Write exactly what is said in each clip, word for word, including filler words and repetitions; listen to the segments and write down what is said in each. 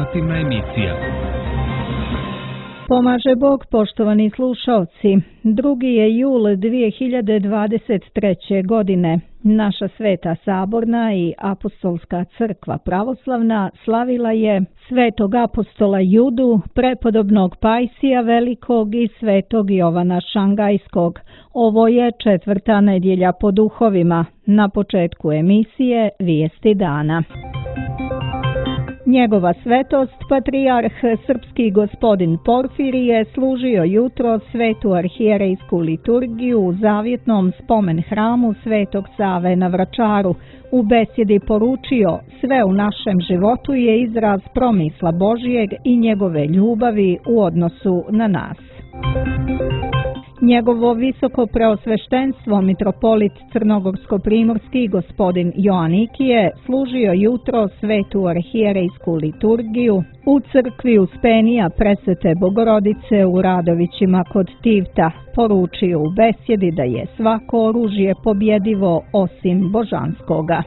informativna emisija. Pomaže Bog, poštovani slušalci. drugi je jul dvije hiljade dvadeset treće. godine. Naša Sveta Saborna i Apostolska crkva pravoslavna slavila je svetog apostola Judu, prepodobnog Pajsija Velikog i svetog Jovana Šangajskog. Ovo je četvrta nedjelja po duhovima. Na početku emisije Vijesti dana. Njegova svetost, patrijarh srpski gospodin Porfirije, služio jutro svetu arhijerejsku liturgiju u zavjetnom spomen hramu Svetog Save na Vračaru. U besjedi poručio: sve u našem životu je izraz promisla Božijeg i njegove ljubavi u odnosu na nas. Njegovo visoko preosveštenstvo mitropolit crnogorsko-primorski gospodin Joanikije služio jutro svetu arhijerejsku liturgiju u crkvi Uspenija Presvete Bogorodice u Radovićima kod Tivta. Poručio u besjedi da je svako oružje pobjedivo osim božanskoga.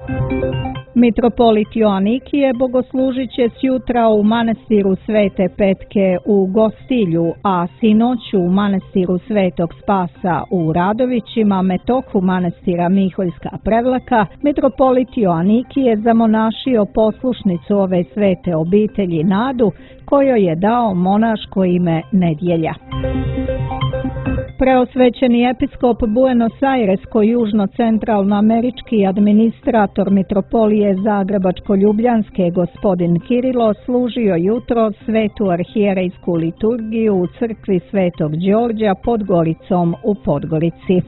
Mitropolit Joanikije bogoslužit će sjutra u manastiru Svete Petke u Gostilju, a sinoću u manastiru Svetog Spasa u Radovićima, metohu manastira Miholjska Prevlaka. Mitropolit Joanikije zamonašio poslušnicu ove svete obitelji Nadu, kojoj je dao monaško ime Nedjelja. Preosvećeni episkop Buenos Airesko-južno-centralnoamerički administrator mitropolije Zagrebačko-ljubljanske gospodin Kirilo služio jutro svetu arhijerejsku liturgiju u crkvi Svetog Đorđa pod Goricom u Podgorici.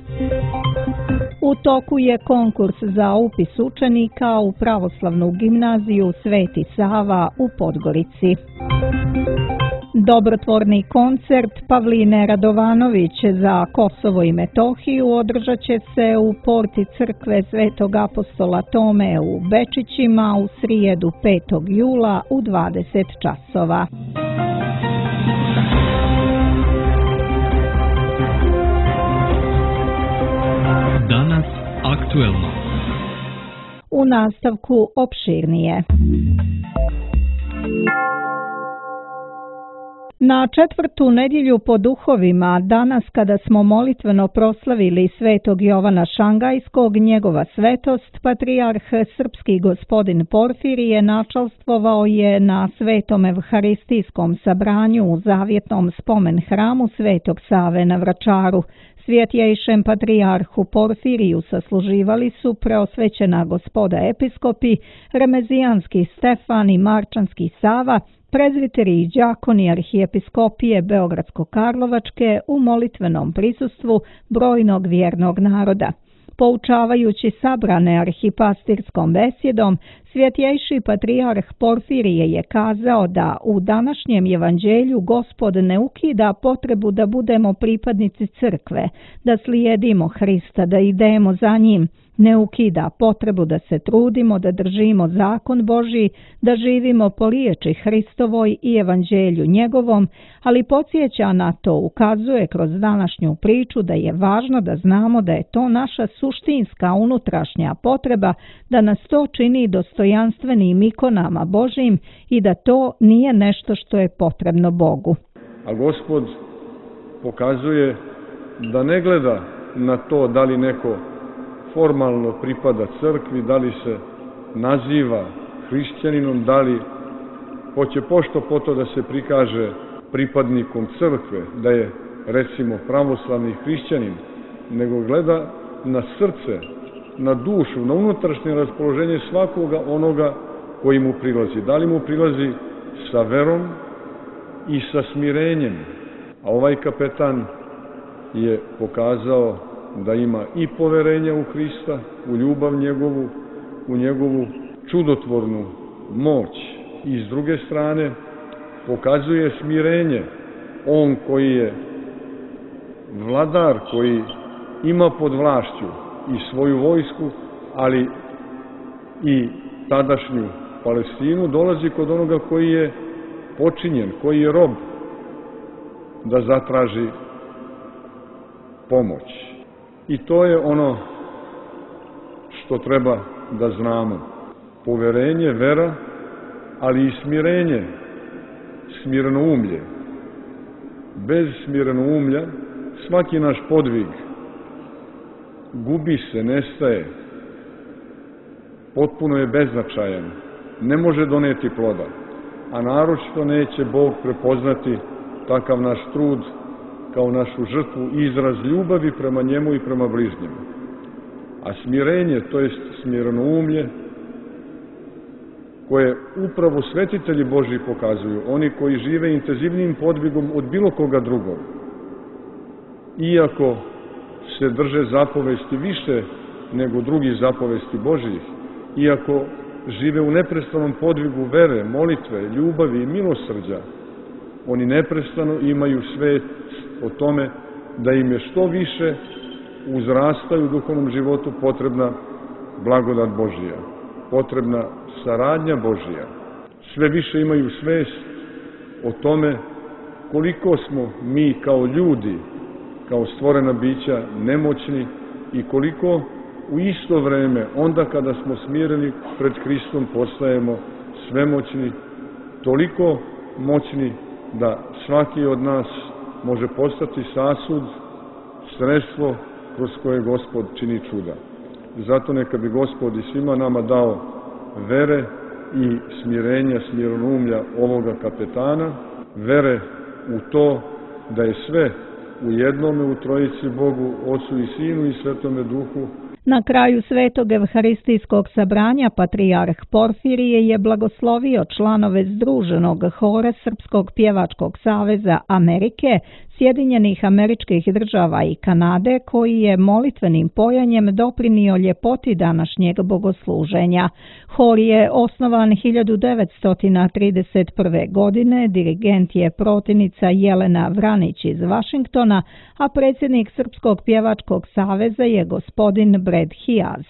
U toku je konkurs za upis učenika u pravoslavnu gimnaziju Sveti Sava u Podgorici. Dobrotvorni koncert Pavline Radovanović za Kosovo i Metohiju održat će se u porti crkve Svetog apostola Tome u Bečićima u srijedu petog jula u dvadeset časova. Danas aktuelno. U nastavku opširnije. Na četvrtu nedjelju po duhovima, danas kada smo molitveno proslavili svetog Jovana Šangajskog, njegova svetost, patrijarh srpski gospodin Porfirije načalstvovao je na svetom evharistijskom sabranju u zavjetnom spomen hramu Svetog Save na Vračaru. Svjetjejšem patrijarhu Porfiriju sasluživali su preosvećena gospoda episkopi, remezijanski Stefan i marčanski Sava, prezviteri i đakoni arhijepiskopije Beogradsko-Karlovačke u molitvenom prisustvu brojnog vjernog naroda. Poučavajući sabrane arhipastirskom besjedom, svjetjejši patrijarh Porfirije je kazao da u današnjem evanđelju Gospod ne ukida potrebu da budemo pripadnici crkve, da slijedimo Hrista, da idemo za njim, ne ukida potrebu da se trudimo, da držimo zakon Božji, da živimo po riječi Hristovoj i evanđelju njegovom, ali podsjeća na to, ukazuje kroz današnju priču da je važno da znamo da je to naša suštinska unutrašnja potreba, da nas to čini dostojanstvenim ikonama Božjim i da to nije nešto što je potrebno Bogu. A Gospod pokazuje da ne gleda na to da li neko formalno pripada crkvi, da li se naziva hrišćaninom, da li hoće pošto po to da se prikaže pripadnikom crkve, da je recimo pravoslavni hrišćanin, nego gleda na srce, na dušu, na unutrašnje raspoloženje svakoga onoga koji mu prilazi. Da li mu prilazi sa verom i sa smirenjem. A ovaj kapetan je pokazao da ima i poverenja u Hrista, u ljubav njegovu, u njegovu čudotvornu moć. I s druge strane pokazuje smirenje. On koji je vladar, koji ima pod vlašću i svoju vojsku, ali i tadašnju Palestinu, dolazi kod onoga koji je počinjen, koji je rob, da zatraži pomoć. I to je ono što treba da znamo. Poverenje, vera, ali i smirenje smirenoumlje. Bez smirenoumlja svaki naš podvig gubi se, nestaje, potpuno je beznačajan, ne može doneti ploda, a naročito neće Bog prepoznati takav naš trud kao našu žrtvu i izraz ljubavi prema njemu i prema bližnjemu. A smirenje, to jest smirenoumlje, koje upravo svetitelji Božji pokazuju, oni koji žive intenzivnim podvigom od bilo koga drugog, iako se drže zapovesti više nego drugih zapovesti Božjih, iako žive u neprestanom podvigu vere, molitve, ljubavi i milosrđa, oni neprestano imaju svest o tome da im je što više uzrastaju u duhovnom životu potrebna blagodat Božija, potrebna saradnja Božija. Sve više imaju svest o tome koliko smo mi kao ljudi, kao stvorena bića nemoćni i koliko u isto vreme, onda kada smo smireni pred Hristom, postajemo svemoćni, toliko moćni da svaki od nas može postati sasud, sredstvo kroz koje Gospod čini čuda. Zato neka bi Gospod i svima nama dao vere i smirenja, smirenoumlja ovoga kapetana, vere u to da je sve u jednome, u Trojici Bogu, Ocu i Sinu i Svetome Duhu. Na kraju Svetog evharistijskog sabranja patrijarh Porfirije je blagoslovio članove Združenog hora Srpskog pjevačkog saveza Amerike, Sjedinjenih Američkih Država i Kanade, koji je molitvenim pojanjem doprinio ljepoti današnjeg bogosluženja. Hor je osnovan hiljadu devetsto trideset prve. godine, dirigent je protivnica Jelena Vranić iz Vašingtona, a predsjednik Srpskog pjevačkog saveza je gospodin Brad Hiaz.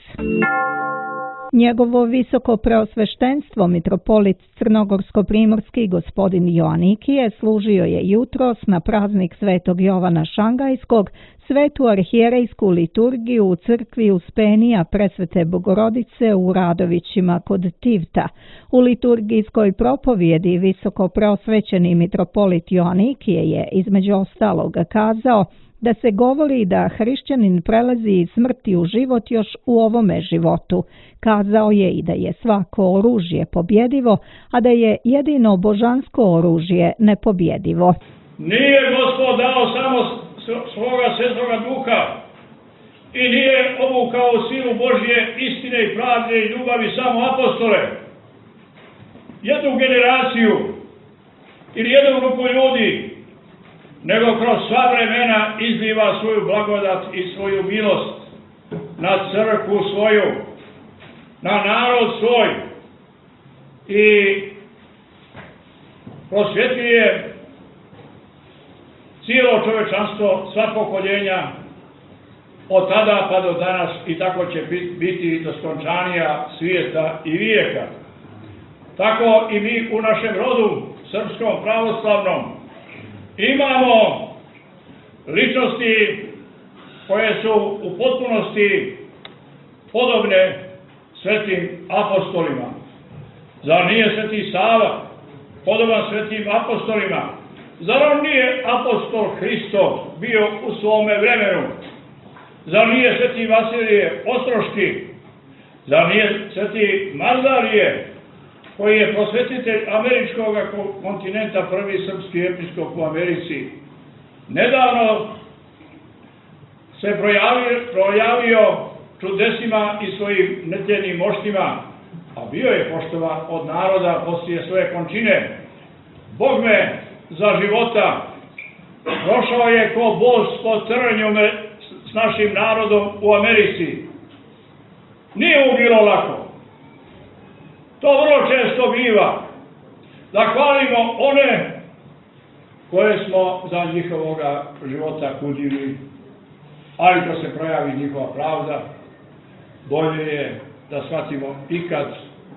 Njegovo visoko preosveštenstvo mitropolit Crnogorsko-primorski gospodin Joanikije služio je jutros na praznik Svetog Jovana Šangajskog svetu arhijerejsku liturgiju u crkvi Uspenija Presvete Bogorodice u Radovićima kod Tivta. U liturgijskoj propovjedi visoko preosvećeni mitropolit Joanikije je između ostalog kazao da se govori da hrišćanin prelazi iz smrti u život još u ovome životu. Kazao je i da je svako oružje pobjedivo, a da je jedino božansko oružje nepobjedivo. Nije Gospod dao samo svoga svetoga duha i nije obukao silu Božje istine i pravde i ljubavi samo apostole. Jednu generaciju ili jednu grupu ljudi, nego kroz sva vremena izliva svoju blagodat i svoju milost na crkvu svoju, na narod svoj i prosvjetljuje cijelo čovečanstvo, sva pokoljenja od tada pa do danas i tako će biti do skončanja svijeta i vijeka. Tako i mi u našem rodu, srpskom pravoslavnom, imamo ličnosti koje su u potpunosti podobne svetim apostolima. Zar nije sveti Sava podoban svetim apostolima? Zar on nije apostol Hristov bio u svome vremenu? Zar nije sveti Vasilije Ostroški? Zar nije sveti Mazarije, koji je prosvetitelj američkog kontinenta, prvi srpski episkop u Americi? Nedavno se projavio, projavio čudesima i svojim nedjeljnim moštima, a bio je poštovan od naroda poslije svoje končine. Bog me za života prošao je ko bos po trnju s našim narodom u Americi. Nije mu bilo lako. To vrlo često biva. Da hvalimo one koje smo za njihovoga života kudili, ali to se projavi njihova pravda, bolje je da shvatimo ikad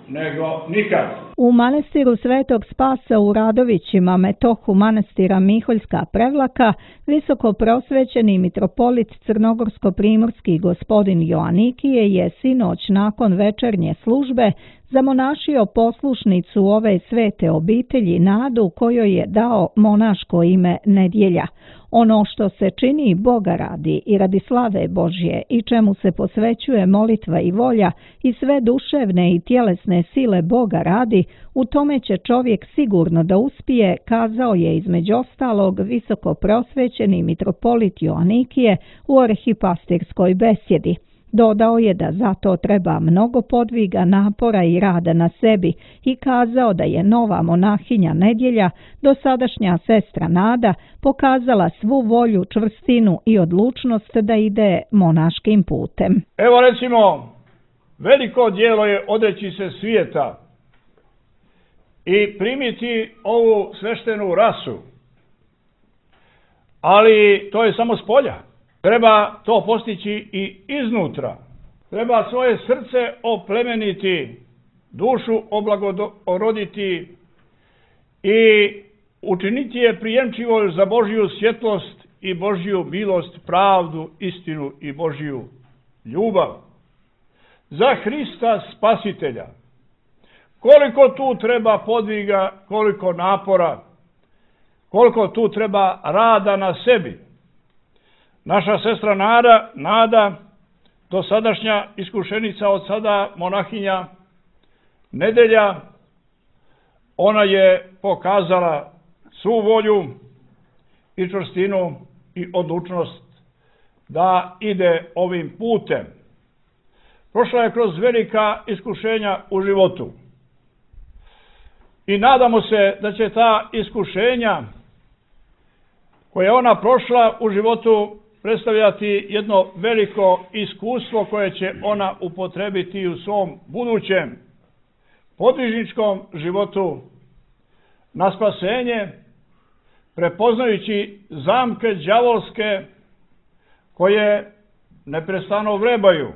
nego nikad. U manastiru Svetog Spasa u Radovićima, metohu manastira Miholjska Prevlaka, visoko prosvećeni mitropolit crnogorsko-primorski gospodin Joanikije je sinoć nakon večernje službe zamonašio poslušnicu ove svete obitelji Nadu, kojoj je dao monaško ime Nedjelja. Ono što se čini Boga radi i radi slave Božje i čemu se posvećuje molitva i volja i sve duševne i tjelesne sile Boga radi, u tome će čovjek sigurno da uspije, kazao je između ostalog visoko prosvećeni mitropolit Joanikije u arhipastirskoj besjedi. Dodao je da za to treba mnogo podviga, napora i rada na sebi i kazao da je nova monahinja Nedjelja, dosadašnja sestra Nada, pokazala svu volju, čvrstinu i odlučnost da ide monaškim putem. Evo recimo, veliko djelo je odreći se svijeta i primiti ovu sveštenu rasu, ali to je samo s polja. Treba to postići i iznutra. Treba svoje srce oplemeniti, dušu oblagoroditi i učiniti je prijemčivo za Božju svjetlost i Božju milost, pravdu, istinu i Božju ljubav. Za Hrista Spasitelja. Koliko tu treba podviga, koliko napora, koliko tu treba rada na sebi. Naša sestra Nada, Nada, dosadašnja iskušenica, od sada monahinja Nedjelja, ona je pokazala svu volju i čvrstinu i odlučnost da ide ovim putem. Prošla je kroz velika iskušenja u životu i nadamo se da će ta iskušenja koje je ona prošla u životu predstavljati jedno veliko iskustvo koje će ona upotrebiti u svom budućem podvižničkom životu na spasenje, prepoznajući zamke đavolske koje neprestano vrebaju.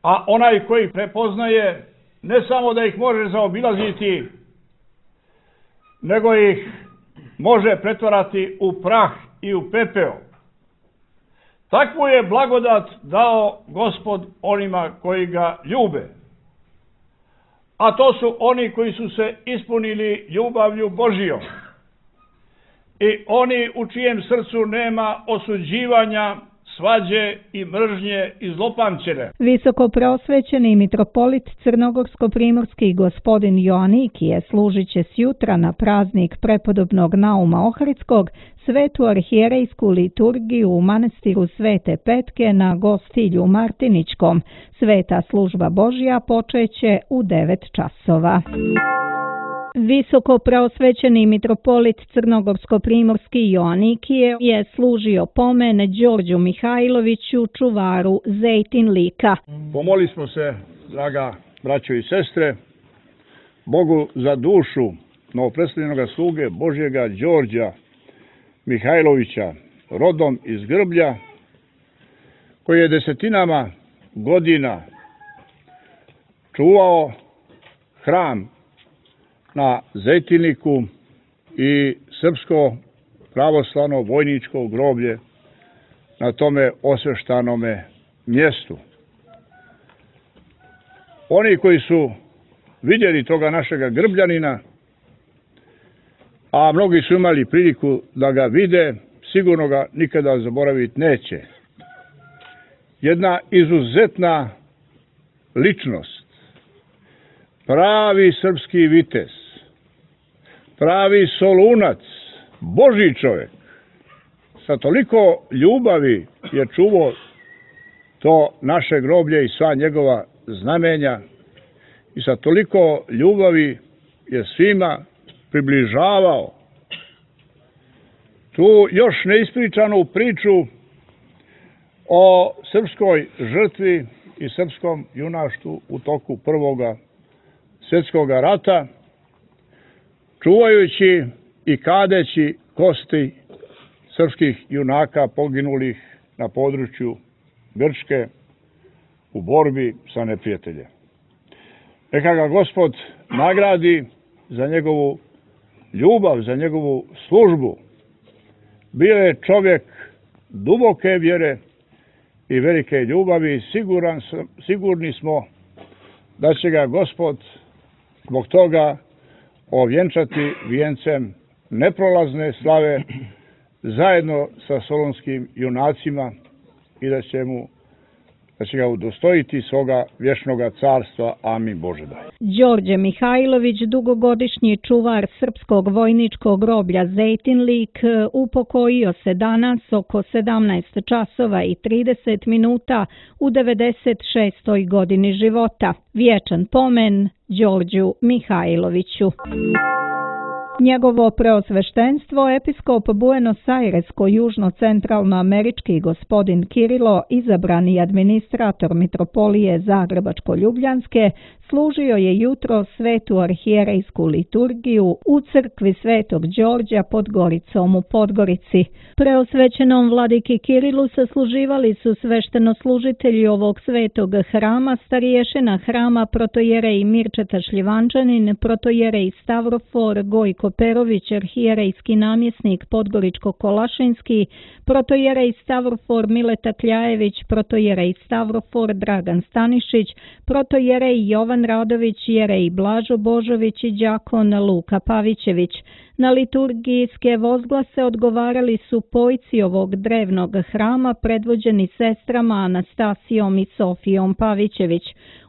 A onaj koji prepoznaje, ne samo da ih može zaobilaziti, nego ih može pretvarati u prah i u pepeo. Takvu je blagodat dao Gospod onima koji ga ljube. A to su oni koji su se ispunili ljubavlju Božijom. I oni u čijem srcu nema osuđivanja, svađe i mržnje i zlopamćenja. Visoko prosvećeni mitropolit crnogorsko-primorski gospodin Joanikije služit će sjutra na praznik prepodobnog Nauma Ohridskog svetu arhijerejsku liturgiju u manastiru Svete Petke na Gostilju Martiničkom. Sveta služba Božja počeće u devet časova. Visoko preosvećeni mitropolit crnogorsko-primorski Joanikije je služio pomen Đorđu Mihajloviću, čuvaru Zejtin lika. Pomoli smo se, draga braćo i sestre, Bogu za dušu novopredstavljenog sluge Božjega Đorđa Mihajlovića, rodom iz Grblja, koji je desetinama godina čuvao hram na Zejtinliku i srpsko pravoslavno vojničko groblje na tome osveštanome mjestu. Oni koji su vidjeli toga našega Grbljanina, a mnogi su imali priliku da ga vide, sigurno ga nikada zaboraviti neće. Jedna izuzetna ličnost, pravi srpski vitez, pravi Solunac, Božji čovjek. Sa toliko ljubavi je čuvao to naše groblje i sva njegova znamenja i sa toliko ljubavi je svima približavao tu još neispričanu priču o srpskoj žrtvi i srpskom junaštvu u toku Prvoga svjetskog rata, čuvajući i kadeći kosti srpskih junaka poginulih na području Grčke u borbi sa neprijateljem. Neka ga Gospod nagradi za njegovu ljubav, za njegovu službu. Bio je čovjek duboke vjere i velike ljubavi. Siguran sam, sigurni smo da će ga Gospod zbog toga ovjenčati vijencem neprolazne slave zajedno sa solonskim junacima i da će mu da će ga udostojiti svoga vječnoga carstva. Amin Bože daj. Đorđe Mihajlović, dugogodišnji čuvar srpskog vojničkog groblja Zejtinlik, upokojio se danas oko sedamnaest časova i trideset minuta u devedeset šestoj godini života. Vječan pomen Đorđu Mihajloviću. Njegovo preosveštenstvo, episkop Buenos Airesko-južno-centralnoamerički gospodin Kirilo, izabrani administrator mitropolije Zagrebačko-Ljubljanske, služio je jutro svetu arhijerejsku liturgiju u crkvi Svetog Đorđa pod Goricom u Podgorici. Preosvećenom vladiki Kirilu sasluživali su sveštenoslužitelji ovog svetog hrama, starješina hrama protojerej Mirčeta Šljivančanin, protojerej Stavrofor Gojko Perović, arhijerejski namjesnik Podgoričko-Kolašinski, protojerej Stavrofor Mileta Kljajević, protojerej Stavrofor Dragan Stanišić, protojerej Jovan Radović, jerej Blažo Božović i đakon Luka Pavićević. Na liturgijske vozglase odgovarali su pojci ovog drevnog hrama predvođeni sestrama Anastasijom i Sofijom Pavićević.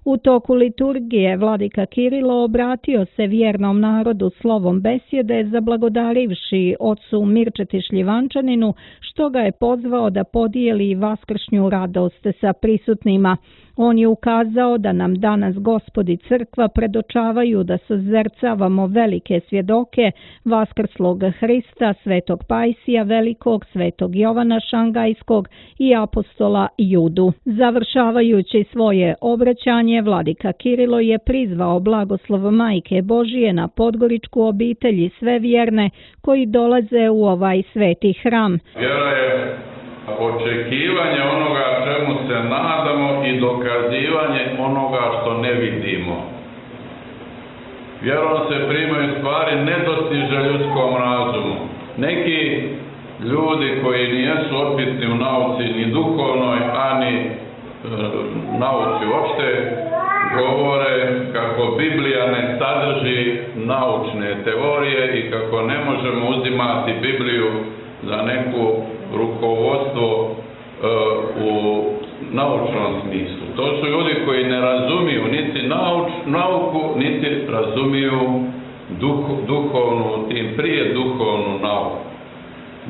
U toku liturgije vladika Kirilo obratio se vjernom narodu slovom besjede, zablagodarivši ocu Mirčeti Šljivančaninu, što ga je pozvao da podijeli vaskršnju radost sa prisutnima. On je ukazao da nam danas Gospod i crkva predočavaju da sozercavamo velike svjedoke vaskrslog Hrista, svetog Pajsija Velikog, svetog Jovana Šangajskog i apostola Judu. Završavajući svoje obraćanje, vladika Kirilo je prizvao blagoslov Majke Božije na podgoričku obitelj i sve vjerne koji dolaze u ovaj sveti hram. Vjera je očekivanje onoga čemu se nadamo i dokazivanje onoga što ne vidimo. Vjerom se primaju stvari nedostiže ljudskom razumu. Neki ljudi koji nijesu opitni u nauci ni duhovnoj, ani e, nauci uopšte, govore kako Biblija ne sadrži naučne teorije i kako ne možemo uzimati Bibliju za neku rukovodstvo e, u naučnom smislu. To su ljudi koji ne razumiju niti nauč, nauku, niti razumiju duh, duhovnu, tim prije duhovnu nauku.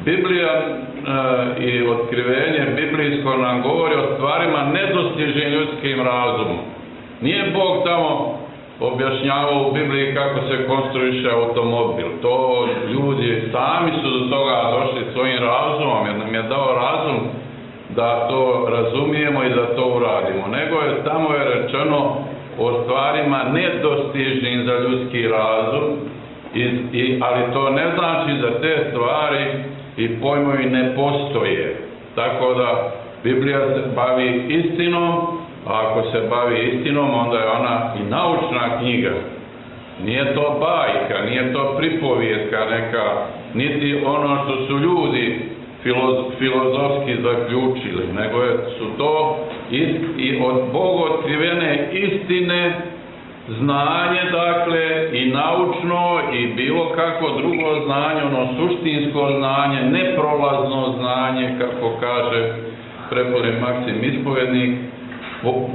Biblija e, i otkrivenje biblijsko nam govori o stvarima nedostižnim ljudskim razumom. Nije Bog tamo objašnjavao u Bibliji kako se konstruiše automobil. To ljudi sami su do toga došli svojim razumom, jer nam je dao razum da to razumijemo i da to uradimo. Nego je tamo je rečeno o stvarima nedostižnim za ljudski razum, i, i, ali to ne znači da te stvari i pojmovi ne postoje. Tako da Biblija se bavi istinom, a ako se bavi istinom, onda je ona i naučna knjiga. Nije to bajka, nije to pripovijetka neka, niti ono što su ljudi filozofski zaključili, nego je, su to ist, i od Boga otkrivene istine, znanje, dakle, i naučno, i bilo kako drugo znanje, ono suštinsko znanje, neprolazno znanje, kako kaže prepodobni Maksim Ispovednik,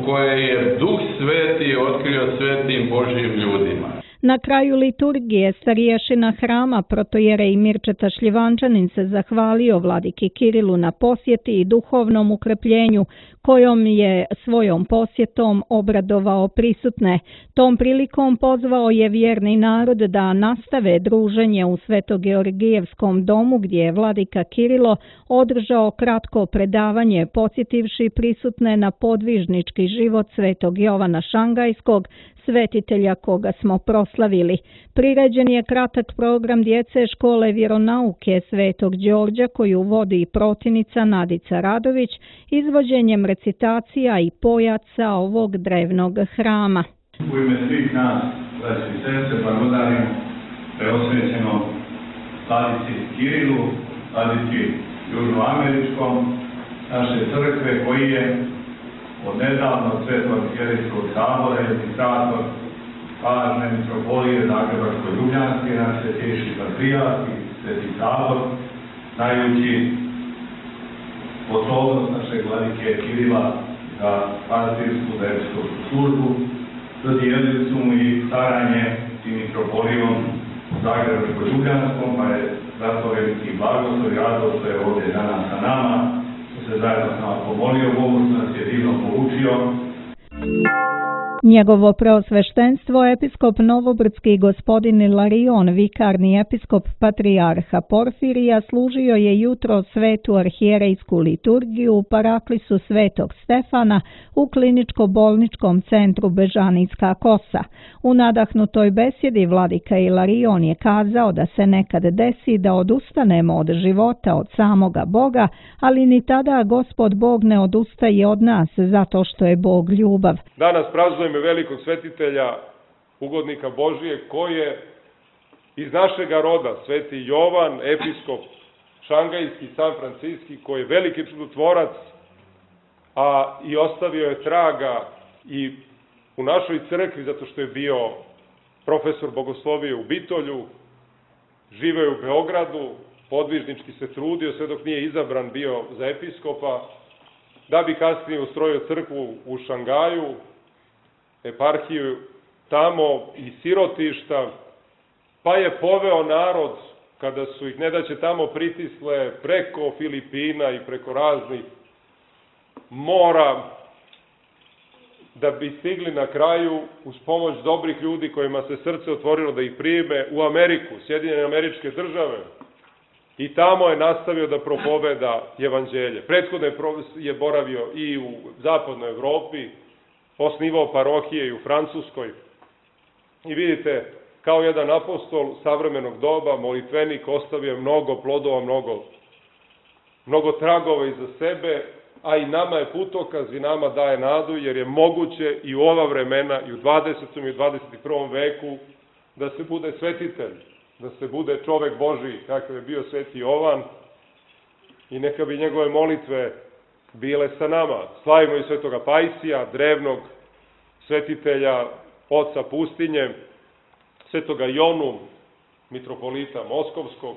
koje je Duh Sveti otkrio svetim Božjim ljudima. Na kraju liturgije starješina hrama protojerej Mirčeta Šljivančanin se zahvalio vladiki Kirilu na posjeti i duhovnom ukrepljenju kojom je svojom posjetom obradovao prisutne. Tom prilikom pozvao je vjerni narod da nastave druženje u Svetogeorgijevskom domu gdje je vladika Kirilo održao kratko predavanje podsjetivši prisutne na podvižnički život svetog Jovana Šangajskog, svetitelja koga smo proslavili. Priređen je kratak program djece škole vjeronauke Svetog Đorđa koju vodi protinica Nadica Radović izvođenjem recitacija i pojaca ovog drevnog hrama. U ime svih nas, braći i sestre, blagodarim preosvećenom vladici Kirilu, vladici južnoameričkom naše crkve, koji je od nedavno Svetog arhijerejskog sabora i administrator važne mitropolije Zagrebačko-Ljubljanske, naš svetejši patrijarh i Sveti sabor, znajući sposobnost našeg vladike Kirila za pastirsku versku službu, dodijelili su mu i staranje i mitropolijom Zagrebačko-Ljubljanskom, pa je zato veliki blagoslov i radost što je ovdje danas sa nama, što se zajedno s nama pomolio Bogu, što nas je divno poučio. Njegovo preosveštenstvo episkop Novobrdski gospodin Ilarion, vikarni episkop patrijarha Porfirija, služio je jutro svetu arhijerejsku liturgiju u paraklisu Svetog Stefana u kliničko-bolničkom centru Bežanijska Kosa. U nadahnutoj besjedi vladika Ilarion je kazao da se nekad desi da odustanemo od života od samoga Boga, ali ni tada Gospod Bog ne odustaje od nas zato što je Bog ljubav. Danas praznujemo velikog svetitelja, ugodnika Božije, koji je iz našega roda, Sveti Jovan, episkop šangajski, San Franciski, koji je veliki čudotvorac, a i ostavio je traga i u našoj crkvi, zato što je bio profesor bogoslovije u Bitolju, živeo je u Beogradu, podvižnički se trudio, sve dok nije izabran bio za episkopa, da bi kasnije ustrojio crkvu u Šangaju, eparhiju tamo i sirotišta, pa je poveo narod, kada su ih nedaće tamo pritisle, preko Filipina i preko raznih mora, da bi stigli na kraju, uz pomoć dobrih ljudi kojima se srce otvorilo da ih prime, u Ameriku, Sjedinjene Američke Države. I tamo je nastavio da propoveda evanđelje. Prethodno je boravio i u zapadnoj Evropi, osnivao parohije i u Francuskoj. I vidite, kao jedan apostol savremenog doba, molitvenik, ostavio mnogo plodova, mnogo, mnogo tragova iza sebe, a i nama je putokaz i nama daje nadu, jer je moguće i u ova vremena, i u dvadesetom i u dvadeset prvom veku, da se bude svetitelj, da se bude čovek Božiji, kakav je bio Sveti Jovan, i neka bi njegove molitve bile sa nama. Slavimo i Svetoga Pajsija, drevnog svetitelja, oca pustinje, Svetoga Jonu, mitropolita Moskovskog,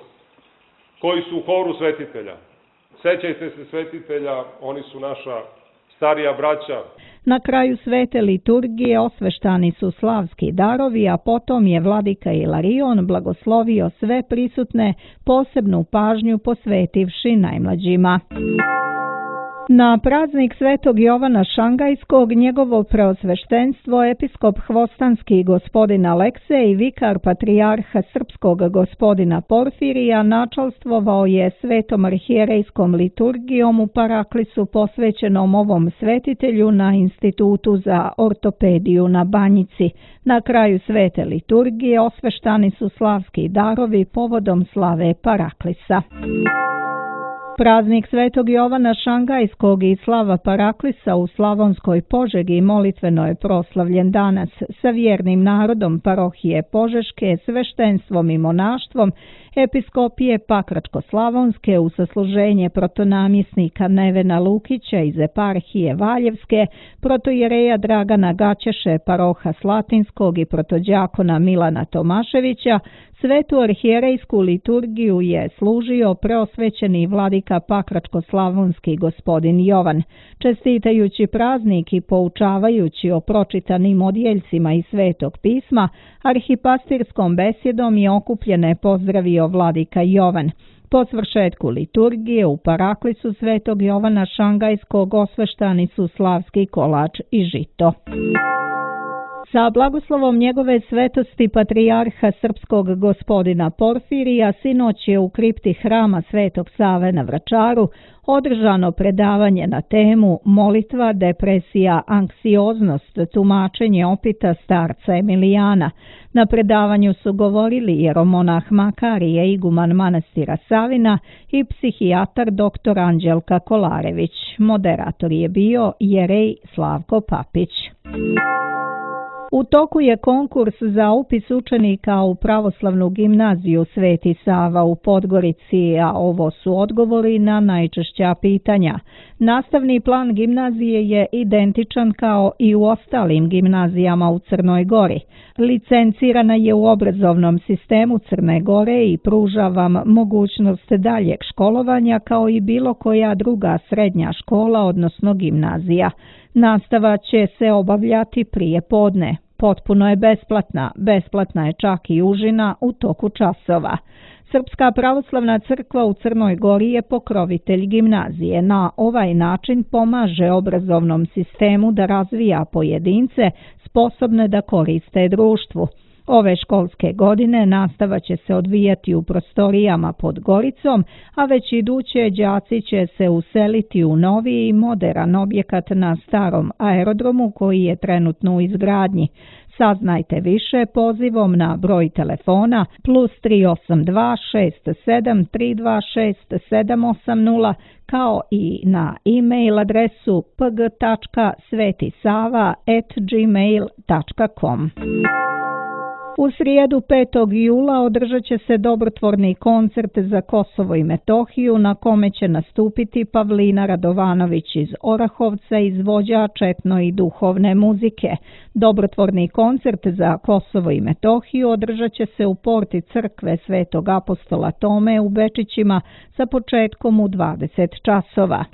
koji su u horu svetitelja. Sećajte se svetitelja, oni su naša starija braća. Na kraju svete liturgije osveštani su slavski darovi, a potom je vladika Ilarion blagoslovio sve prisutne, posebnu pažnju posvetivši najmlađima. Na praznik Svetog Jovana Šangajskog njegovo preosveštenstvo episkop Hvostanski gospodin Aleksej i vikar patrijarha Srpskog gospodina Porfirija načalstvovao je svetom arhijerejskom liturgijom u paraklisu posvećenom ovom svetitelju na Institutu za ortopediju na Banjici. Na kraju svete liturgije osveštani su slavski darovi povodom slave paraklisa. Praznik Svetog Jovana Šangajskog i slava paraklisa u Slavonskoj Požegi molitveno je proslavljen danas sa vjernim narodom parohije Požeške, sveštenstvom i monaštvom, episkopije Pakračko-Slavonske u sasluženje protonamjesnika Nevena Lukića iz eparhije Valjevske, protojereja Dragana Gaćeše paroha Slatinskog i protođakona Milana Tomaševića. Svetu arhijerejsku liturgiju je služio preosvećeni vladika Pakračko-Slavonski gospodin Jovan. Čestitajući praznik i poučavajući o pročitanim odjeljcima iz Svetog pisma, arhipastirskom besjedom je okupljene pozdravio vladika Jovan. Po svršetku liturgije u paraklisu Svetog Jovana Šangajskog osveštani su slavski kolač i žito. Sa blagoslovom njegove svetosti patrijarha Srpskog gospodina Porfirija sinoć je u kripti hrama Svetog Save na Vračaru održano predavanje na temu Molitva, depresija, anksioznost, tumačenje opita starca Emilijana. Na predavanju su govorili jeromonah Makarije, iguman manastira Savina i psihijatar doktor Anđelka Kolarević. Moderator je bio jerej Slavko Papić. U toku je konkurs za upis učenika u pravoslavnu gimnaziju Sveti Sava u Podgorici, a ovo su odgovori na najčešća pitanja. Nastavni plan gimnazije je identičan kao i u ostalim gimnazijama u Crnoj Gori. Licencirana je u obrazovnom sistemu Crne Gore i pruža vam mogućnost daljeg školovanja kao i bilo koja druga srednja škola, odnosno gimnazija. Nastava će se obavljati prije podne. Potpuno je besplatna, besplatna je čak i užina u toku časova. Srpska pravoslavna crkva u Crnoj Gori je pokrovitelj gimnazije. Na ovaj način pomaže obrazovnom sistemu da razvija pojedince sposobne da koriste društvu. Ove školske godine nastava će se odvijati u prostorijama pod Goricom, a već iduće đaci će se useliti u novi i moderan objekat na starom aerodromu koji je trenutno u izgradnji. Saznajte više pozivom na broj telefona plus tri osam dva šest sedam tri dva šest sedam osam nula kao i na e-mail adresu p g tačka svetisava at gmail tačka com. U srijedu petog jula održat će se dobrotvorni koncert za Kosovo i Metohiju na kome će nastupiti Pavlina Radovanović iz Orahovca, izvođač etno i duhovne muzike. Dobrotvorni koncert za Kosovo i Metohiju održat će se u porti crkve Svetog apostola Tome u Bečićima sa početkom u dvadeset časova.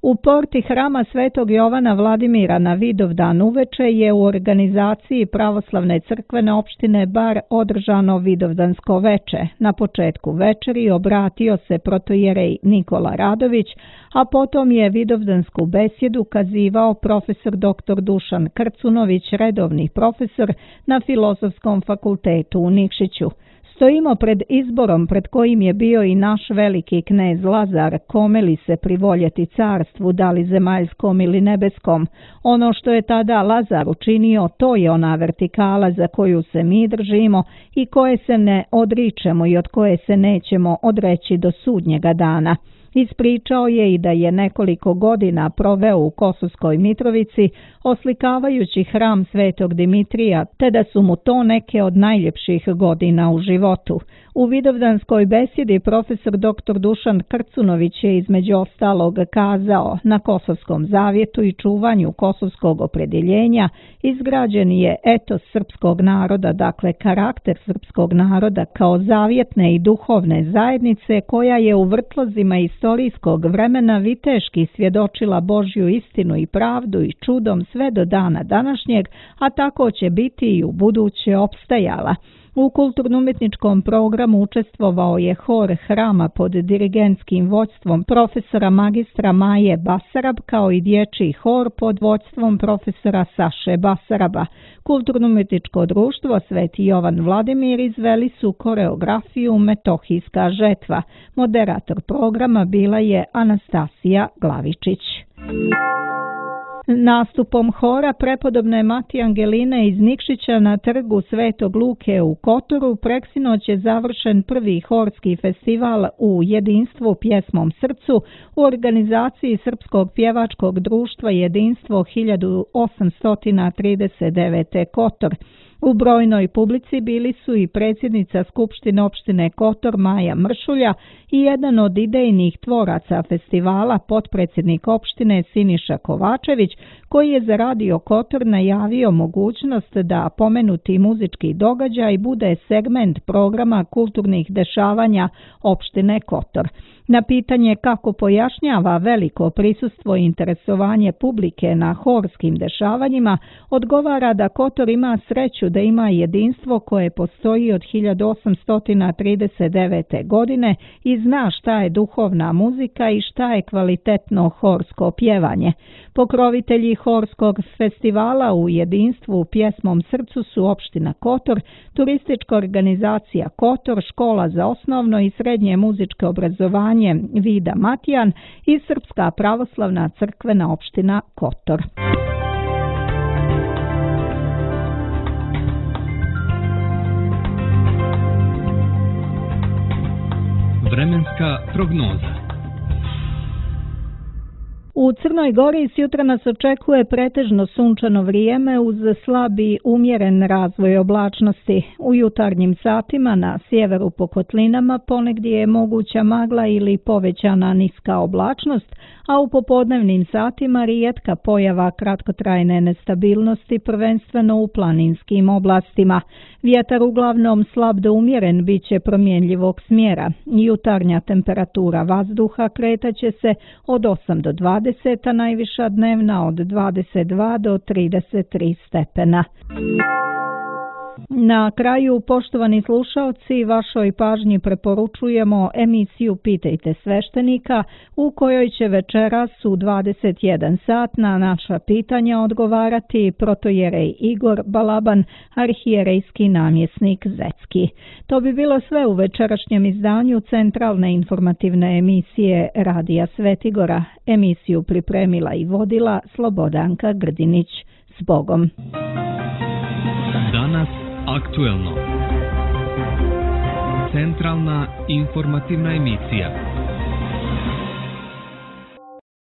U porti hrama Svetog Jovana Vladimira na Vidovdan uveče je u organizaciji Pravoslavne crkvene opštine Bar održano Vidovdansko veče. Na početku večeri obratio se protojerej Nikola Radović, a potom je Vidovdansku besjedu kazivao profesor doktor Dušan Krcunović, redovni profesor na Filozofskom fakultetu u Nikšiću. Stojimo pred izborom pred kojim je bio i naš veliki knez Lazar, kome li se privoljeti carstvu, da li zemaljskom ili nebeskom. Ono što je tada Lazar učinio, to je ona vertikala za koju se mi držimo i koje se ne odričemo i od koje se nećemo odreći do sudnjega dana. Ispričao je i da je nekoliko godina proveo u Kosovskoj Mitrovici oslikavajući hram Svetog Dimitrija, te da su mu to neke od najljepših godina u životu. U Vidovdanskoj besjedi profesor doktor Dušan Krcunović je između ostalog kazao: na Kosovskom zavjetu i čuvanju kosovskog opredjeljenja izgrađen je etos srpskog naroda, dakle karakter srpskog naroda kao zavjetne i duhovne zajednice koja je u vrtlozima istorijskog vremena viteški svjedočila Božju istinu i pravdu i čudom sve do dana današnjeg, a tako će biti i u buduće opstajala. U kulturno-umjetničkom programu učestvovao je hor hrama pod dirigentskim vođstvom profesora magistra Maje Basarab, kao i dječji hor pod vođstvom profesora Saše Basaraba. Kulturno-umjetničko društvo Sveti Jovan Vladimir izveli su koreografiju Metohijska žetva. Moderator programa bila je Anastasija Glavičić. Nastupom hora prepodobne Mati Angeline iz Nikšića na trgu Svetog Luke u Kotoru preksinoć je završen prvi horski festival u jedinstvu pjesmom srcu u organizaciji Srpskog pjevačkog društva Jedinstvo hiljadu osamsto trideset devet. Kotor. U brojnoj publici bili su i predsjednica Skupštine opštine Kotor Maja Mršulja i jedan od idejnih tvoraca festivala, potpredsjednik opštine Siniša Kovačević, koji je za Radio Kotor najavio mogućnost da pomenuti muzički događaj bude segment programa kulturnih dešavanja opštine Kotor. Na pitanje kako pojašnjava veliko prisustvo i interesovanje publike na horskim dešavanjima, odgovara da Kotor ima sreću da ima jedinstvo koje postoji od hiljadu osamsto trideset devete. godine i zna šta je duhovna muzika i šta je kvalitetno horsko pjevanje. Pokrovitelji horskog festivala u jedinstvu pjesmom srcu su opština Kotor, turistička organizacija Kotor, škola za osnovno i srednje muzičko obrazovanje Vida Matijan i Srpska pravoslavna crkvena opština Kotor. Vremenska prognoza. U Crnoj Gori s jutra nas očekuje pretežno sunčano vrijeme uz slab i umjeren razvoj oblačnosti. U jutarnjim satima na sjeveru po kotlinama ponegdje je moguća magla ili povećana niska oblačnost, a u popodnevnim satima rijetka pojava kratkotrajne nestabilnosti, prvenstveno u planinskim oblastima. Vjetar uglavnom slab do umjeren bit će promjenljivog smjera. Jutarnja temperatura vazduha kretaće se od osam do dvadeset, a najviša dnevna od dvadeset dva do trideset tri stepena. Na kraju, poštovani slušalci, vašoj pažnji preporučujemo emisiju Pitajte sveštenika, u kojoj će večeras u dvadeset jedan sat na naša pitanja odgovarati protojerej Igor Balaban, arhijerejski namjesnik Zecki. To bi bilo sve u večerašnjem izdanju centralne informativne emisije Radija Svetigora. Emisiju pripremila i vodila Slobodanka Grdinić. S Bogom! Danas aktuelno. Centralna informativna emisija.